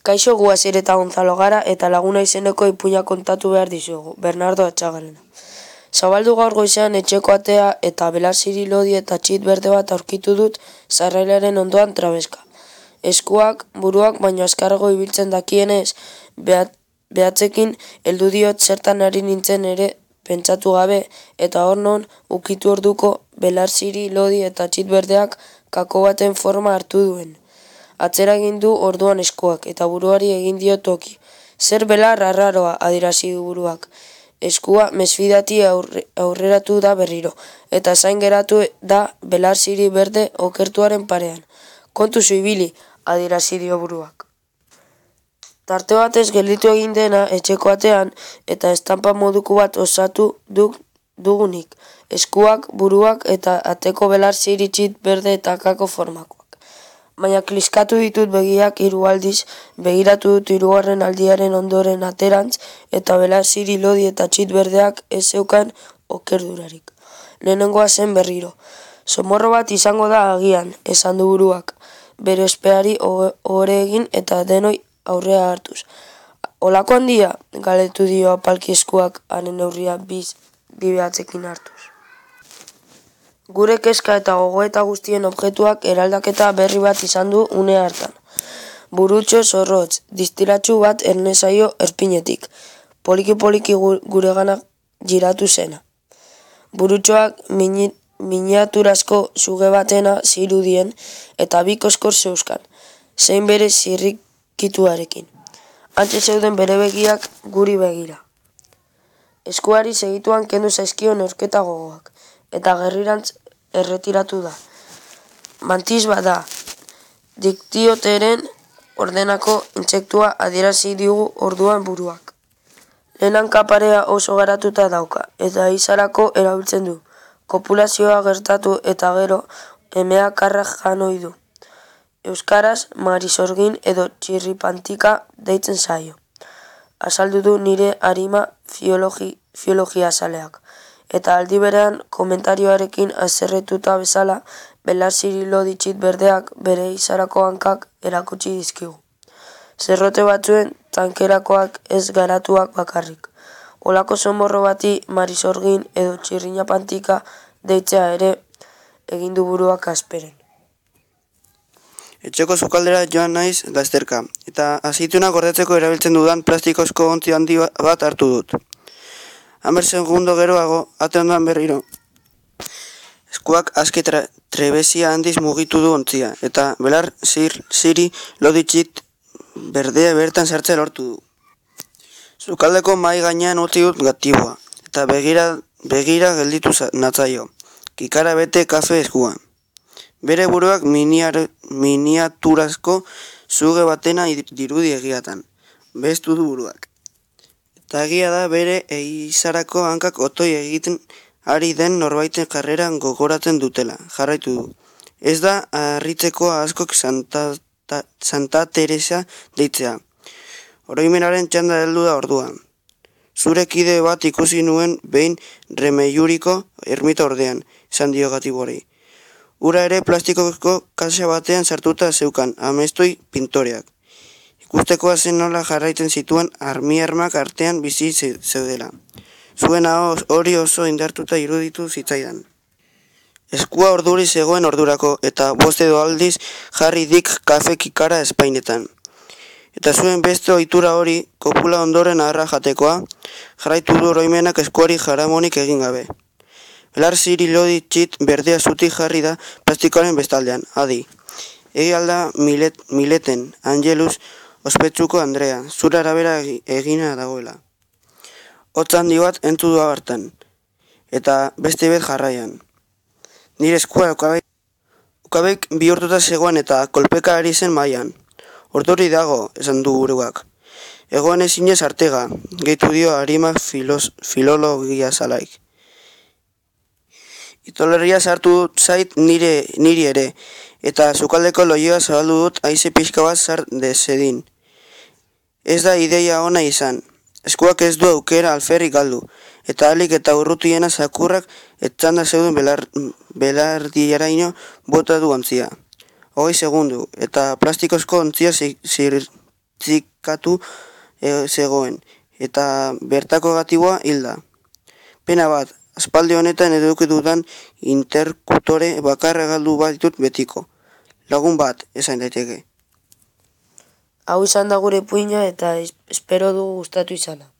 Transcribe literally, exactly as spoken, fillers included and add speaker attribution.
Speaker 1: Kaixo, gu Asier eta Gonzalo gara eta laguna izeneko ipuina kontatu behar dizugu, Bernardo Atxagalena. Zabaldu gaur goizean etxeko atea eta belar-ziri lodi eta txit berde bat aurkitu dut sarrailaren ondoan trabeska. Eskuak, buruak, baino azkarrago ibiltzen dakienez, behat, behatzekin heldu diot zertan ari nintzen ere pentsatu gabe, eta hor non ukitu orduko belar-ziri lodi eta txit berdeak kako baten forma hartu duen. Atzera egin du orduan eskuak, eta buruari egin dio toki. Zer belar arraroa, adierazi du buruak. Eskua mesfidati aurre, aurreratu da berriro, eta zain geratu da belar-ziri berde okertuaren parean. Kontu zuibili, adierazi dio buruak. Tarte batez gelditu egin dena etxeko atean, eta estampa moduko bat osatu duk, dugunik. Eskuak, buruak eta ateko belar-ziri txit berde eta kako formakoak. Baina kliskatu ditut begiak hiru aldiz, begiratu dut hirugarren aldiaren ondoren aterantz, eta belar-ziri lodi eta txit berdeak ez zeukan okerdurarik. Lehenengoa zen berriro. Somorro bat izango da agian, esan du buruak, bere ospeari ohore egin eta denoi aurrea hartuz. Olako handia, galetu dio apalki eskuak haren neurria biz bibeatzekin hartuz. Gure kezka eta gogoeta guztien objektuak eraldaketa berri bat izan du une hartan. Burutxo zorrotz, distilatxu bat ernezaio erpinetik, poliki-poliki guregana giratu zena. Burutxoak mini, miniaturazko suge batena zirudien eta bi koskor zeuzkan, zein bere zirrikituarekin. Antxe zeuden bere begiak guri begira. Eskuari segituan kendu zaizkio neurketa gogoak, eta gerrirantz erretiratu da. Mantis bada, diktioteren ordenako intsektua adierazi digu orduan buruak. Lehen kaparea oso garatuta dauka, eta izarako erabiltzen du. Kopulazioa gertatu eta gero emea karra janoi du. Euskaraz, marisorgin edo txirripantika deitzen zaio. Azaldu du nire arima fiologi, fiologia zaleak. Eta aldi berean komentarioarekin azerretuta bezala belar-ziri lodi txit berdeak bere izarako hankak erakutsi dizkigu. Zerrote batzuen tankerakoak ez garatuak bakarrik. Olako somorro bati marisorgin edo txirrinapantika deitzea ere egin du buruak asperen.
Speaker 2: Etxeko sukaldera joan naiz lasterka, eta azituna gordetzeko erabiltzen dudan plastikozko ontzi handi bat hartu dut. Hamer segundo geroago, ate ondoan berriro. Eskuak aske trebezia handiz mugitu du ontzia, eta belar zir, ziri loditxit berdea bertan sartzea lortu du. Sukaldeko mai gainean utzi dut gatiboa, eta begira, begira gelditu natzaio, kikara bete kafe eskuan. Bere buruak miniar, miniaturazko zuge batena dirudi egiatan, bestu du buruak. Eta egia da bere eizarako hankak otoi egiten ari den norbaiten jarreran gogoratzen dutela, jarraitu du. Ez da harritzeko askok Santa, ta, Santa Teresa deitzea. Oroimenaren txanda heldu da orduan. Zure kide bat ikusi nuen behin Remeiuriko ermita ordean, esan dio gatiborei. Ura ere plastikozko kaxa batean sartuta zeukan, amestoi pintoreak. Ikustekoa zen nola jarraiten zituen armi-armak artean bizi zeudela. Zuen hori oso indartuta iruditu zitzaidan. Eskua orduri zegoen ordurako eta bost edo aldiz jarri dik kafe kikara espainetan. Eta zuen beste ohitura hori, kopula ondoren aharra jatekoa, jarraitu du oroimenak eskuari jaramonik egin gabe. Belar-ziri lodi txit berdea zutik jarri da plastikoaren bestaldean, adi. Egi alda milet, mileten, Angelus, ospetsuko Andrea, zura arabera egina dagoela. Hotz handi bat entu du hartan, eta beste bet jarraian. Nire eskua ukabek, ukabek bihurtuta zegoen eta kolpeka ari zen mailan. Orduri dago, esan du buruak. Egoan ezinez artega, gehitu dio arima filos, filologia zalaik. Itolerria sartu zait nire, niri ere, eta sukaldeko loioa zabaldu dut haize pixka bat zar dezedin. Ez da ideia ona izan. Eskuak ez du aukera alferrik galdu, eta alik eta urrutiena zakurrak etzanda zeuden belar, belardiaraino bota du ontzia. Hogei segundu, eta plastikozko ontzia zir, zir, utzikatu e, zegoen, eta bertako gatiboa hilda. Pena bat, aspaldi honetan eduki dudan interkutore bakarra galdu bat ditut betiko. Lagun bat, esan daiteke.
Speaker 1: Hau izan da gure puina eta espero dugu gustatu izana.